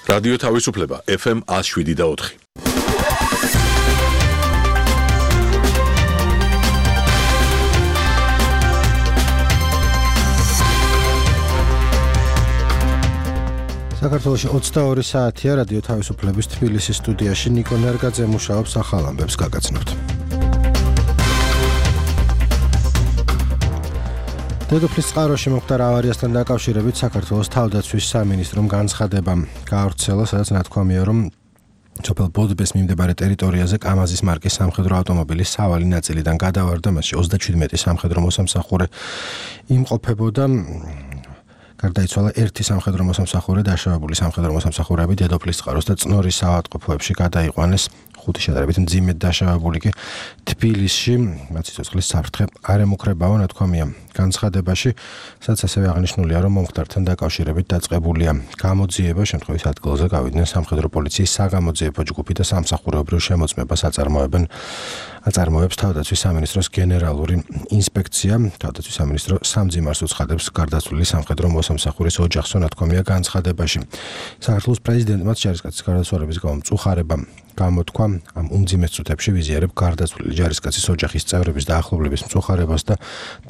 რადიო თავისუფლება FM 107.4. საქართველოში 22 საათია რადიო თავისუფლების თბილისის სტუდიაში ნიკო ნერგაძე მუშაობს ახალ ამბებს გაგაცნობთ. დედოფლის წყაროში მოხდა ავარიასთან დაკავშირებით საქართველოს თავდაცვის სამინისტრომ განცხადება გაავრცელა, სადაც ნათქვამია, რომ სოფელ ბოდბეს მიმდებარე ტერიტორიაზე კამაზის მარკის სამხედრო ავტომობილის სავალი ნაწილიდან გადავარდა, მასში 37 სამხედრო მოსამსახურე იმყოფებოდა. გარდაიცვალა ერთი სამხედრო მოსამსახურე, დაშავებული სამხედრო მოსამსახურეები დედოფლის წყაროს და წნორის საავადმყოფოებში გადაიყვანეს. 5 შედარებით მძიმედ დაშავებული კი თბილისში, მათ სიცოცხლის საფრთხე არ ემუქრებაო, ნათქვამია განცხადებაში, სადაც ასევე აღნიშნულია, რომ მომხდართან დაკავშირებით დაწყებულია გამოძიება, შემთხვევის ადგილზე გავიდნენ სამხედრო პოლიციის საგამოძიებო ჯგუფი და სამსახურეობრივ შემოწმებას აწარმოებს თავდაცვის სამინისტროს გენერალური ინსპექცია. თავდაცვის სამინისტრო სამძიმარს უცხადებს გარდაცვლილი სამხედრო მოსამსახურის ოჯახსო, ნათქვამია განცხადებაში. საქართველოს პრეზიდენტმა ჯარისკაცის გარდაცვალების გამო მწუხარება გამოთქვა, ამ უმძიმეს წუთებში ვიზიარებ გარდაცვლილი ჯარისკაცის ოჯახის წევრების და ახლობლების მწუხარებას და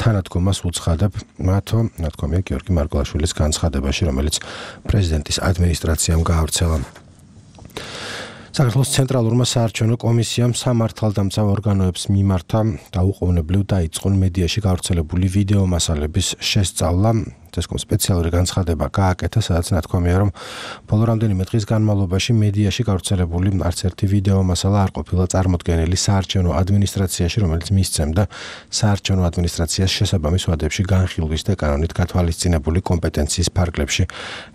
თანადგომას უცხადებ მათო, ნათქვამია გიორგი მარგველაშვილის განცხადებაში, რომელიც პრეზიდენტის ადმინისტრაციამ გაავრცელა. საქართველოს ცენტრალურმა საარჩევნო კომისიამ სამართალდამცავ ორგანოებს მიმართა დაუყოვნებლივ დაიწყონ მედიაში გავრცელებული ვიდეო მასალების შესწავლა. წესკომ სპეციალური განცხადება გააკეთა, სადაც ნათქვამია, რომ ბოლო რამდენიმე დღის განმავლობაში მედიაში გავრცელებული არც ერთი ვიდეო მასალა არ ყოფილა წარმოდგენილი საარჩევნო ადმინისტრაციაში, რომელიც მისცემდა საარჩევნო ადმინისტრაციას შესაბამის ვადებში განხილვის და კანონით გათვალისწინებული კომპეტენციის ფარგლებში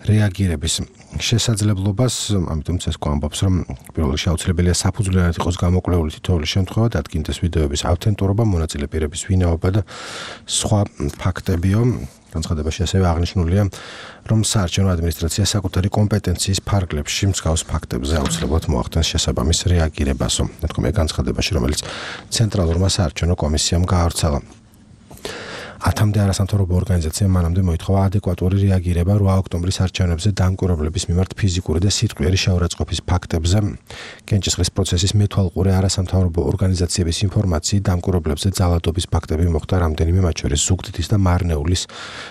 რეაგირების შესაძლებლობას. ამიტომ წესკო ამბობს, რომ პირველ რიგში აუცილებელია საფუძვლიანად იყოს გამოკვლეული თითოეული შემთხვევა, დადგინდეს ვიდეოების ავთენტურობა, მონაწილე პირების ვინაობა და სხვა ფაქტებიო. განცხადებაში ასევე აღნიშნულია, რომ საარჩევნო ადმინისტრაცია საკუთარი კომპეტენციის ფარგლებში მსგავს ფაქტებზე აუცილებლად მოახდენს შესაბამის რეაგირებასო. ნათქვამია განცხადებაში, რომელიც ცენტრალურმა საარჩევნო კომისიამ გაავრცელა. 10-მდე არასამთავრობო ორგანიზაციამ მანამდე მოითხოვა ადეკვატური რეაგირება 8 ოქტომბრის არჩევნებზე დამკვირვებლების მიმართ ფიზიკური და სიტყვიერი შეურაცხყოფის ფაქტებზე. კენჭისყრის პროცესის მეთვალყურე არასამთავრობო ორგანიზაციების ინფორმაციით დამკვირვებლებზე ძალადობის ფაქტები მოხდა რამდენიმე, მათ შორის ზუგდიდის და მარნეულის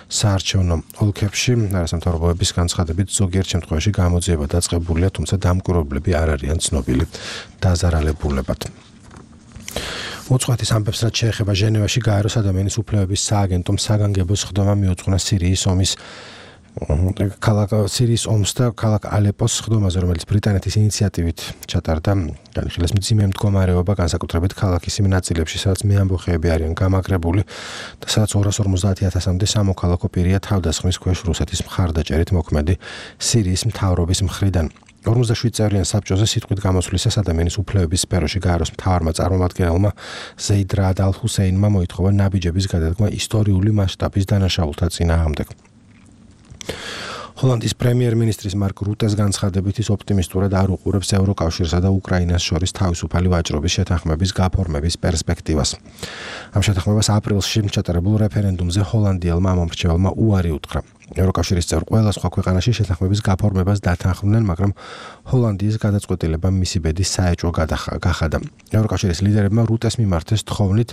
საარჩევნო ოლქებში. არასამთავრობოების განცხადებით ზოგიერთ შემთხვევაში გამოძიება დაწყებულია, თუმცა დამკვირვებლები არ არიან ცნობილი დაზარალებულებად. უცხოეთის ამბებს, რაც შეეხება ჟენევაში გაეროს ადამიანის უფლებების სააგენტომ საგანგებო სხდომა მიუძღვნა სირიის ომს და ქალაქ ალეპოს სხდომაზე, რომელიც ბრიტანეთის ინიციატივით ჩატარდა. განიხილეს მძიმე მდგომარეობა, განსაკუთრებით ქალაქის იმ ნაწილებში, სადაც მეამბოხეები არიან გამაგრებული და სადაც 250,000-მდე სამოქალაქო პირია თავდასხმის ქვეშ რუსეთის მხარდაჭერით მოქმედი სირიის მთავრობის მხრიდან. 47 წევრიან საბჭოზე სიტყვით გამოსვლისას ადამიანის უფლებების სფეროში გაეროს მთავარმა წარმომადგენელმა ზეიდ რაად ალ-ჰუსეინმა მოითხოვა ნაბიჯების გადადგმა ისტორიული მასშტაბის დანაშაულთა წინააღმდეგ. ჰოლანდიის პრემიერ-მინისტრის მარკ რუტეს განცხადებით ის ოპტიმისტურად არ უყურებს ევროკავშირსა და უკრაინას შორის თავისუფალი ვაჭრობის შეთანხმების გაფორმების პერსპექტივას. ამ შეთანხმებას აპრილში ჩატარებულ რეფერენდუმზე ჰოლანდიელმა მომრჩეველმა უარი უთხრა. ევროკავშირის წევრ ყველა სხვა ქვეყანაში შეთანხმების გაფორმებას დათანხმდნენ, მაგრამ ჰოლანდიის გადაწყვეტილება მისი ბედის საეჭვო გახადა. ევროკავშირის ლიდერებმა რუტეს მიმართეს თხოვნით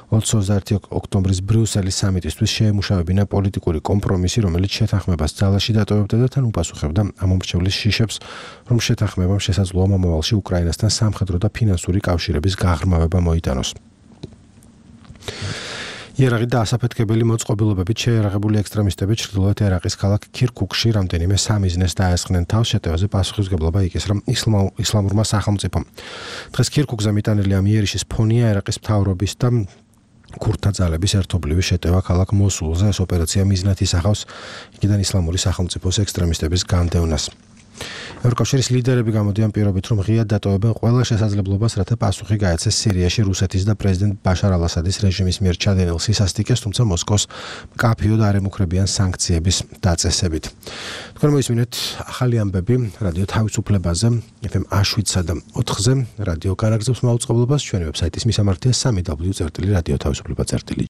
21 ოქტომბრის ბრიუსელის სამიტისთვის შეემუშავებინა პოლიტიკური კომპრომისი, რომელიც შეთანხმებას ძალაში დატოვებდა და თან უპასუხებდა ამ მომრჩევლის შიშებს, რომ შეთანხმებამ შესაძლოა მომავალში უკრაინასთან სამხედრო და ფინანსური კავშირების გაღრმავება მოიტანოს. იერაღი და ასაფეთქებელი მოწყობილობებით შეიარაღებული ექსტრემისტები ჩრდილოეთ ერაყის ქალაქ ქირქუკში რამდენიმე სამიზნეს დაესხნენ თავს. შეტევაზე პასუხისმგებლობა იკისრა ისლამურმა სახელმწიფომ. დღეს ქირქუკზე მიტანილი ამ იერიშის ფონია ერაყის მთავრობის და ქურთთა ძალების ერთობლივი შეტევა ქალაქ მოსულზე. ეს ოპერაცია მიზნად ისახავს იქიდან ისლამური სახელმწიფოს ექსტრემისტების განდევნას. ევროკავშირის ლიდერები გამოდიან პირობით, რომ ღიად დატოვებენ ყველა შესაძლებლობას, რათა პასუხი გაეცეს სირიაში რუსეთის და პრეზიდენტ ბაშარ ალ-ასადის რეჟიმის მიერ ჩადენილ სისასტიკეს, თუმცა მოსკოვს მკაფიოდ არ ემუქრებიან სანქციების დაწესებით. თქვენ მოისმინეთ ახალი ამბები რადიო თავისუფლებაზე, FM 107 და 4-ზე, რადიო განაგრძობს მაუწყებლობას, ჩვენი ვებსაიტის მისამართია www.radioთავისუფლება.gt